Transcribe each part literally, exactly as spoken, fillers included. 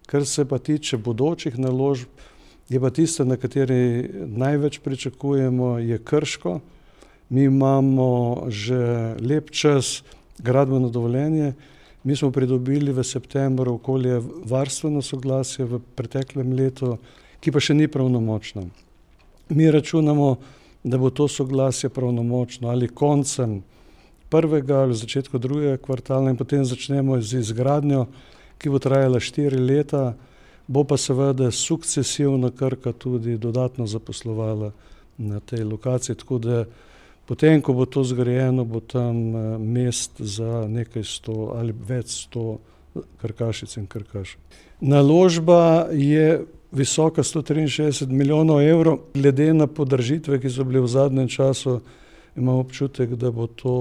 Kar se pa tiče bodočih naložb, je pa tisto, na kateri največ pričakujemo, je Krško. Mi imamo že lep čas gradbeno dovoljenje. Mi smo pridobili v septembru okoljevarstveno soglasje v preteklem letu, ki pa še ni pravnomočno. Mi računamo, da bo to soglasje pravnomočno ali koncem prvega ali začetku drugega kvartala in potem začnemo z izgradnjo, ki bo trajala štiri leta, bo pa seveda sukcesivno Krka tudi dodatno zaposlovala na tej lokaciji, tako da potem, ko bo to zgrajeno, bo tam mest za nekaj sto ali več sto krkašic in krkašev. Naložba je visoka sto triinšestdeset milijonov evrov. Glede na podražitve, ki so bile v zadnjem času, imam občutek, da bo to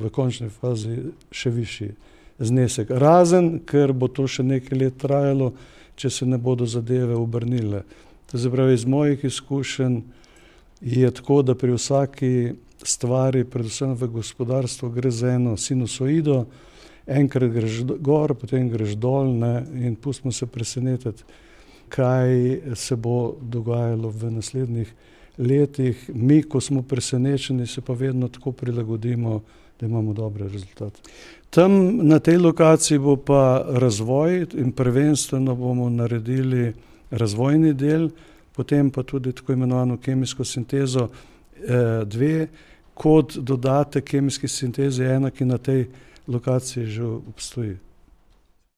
v končni fazi še višji znesek. Razen, ker bo to še nekaj let trajalo, če se ne bodo zadeve obrnile. To se pravi, iz mojih izkušenj je tako, da pri vsaki stvari, predvsem v gospodarstvu, gre za eno sinusoido, enkrat greš gor, potem greš dol, ne, in pustimo se presenetiti, kaj se bo dogajalo v naslednjih letih. Mi, ko smo presenečeni, se pa vedno tako prilagodimo, da imamo dobre rezultate. Tam na tej lokaciji bo pa razvoj in prvenstveno bomo naredili razvojni del, potem pa tudi tako imenovano kemijsko sintezo dve, kot dodatek kemijski sintezi ena, ki na tej lokaciji že obstoji.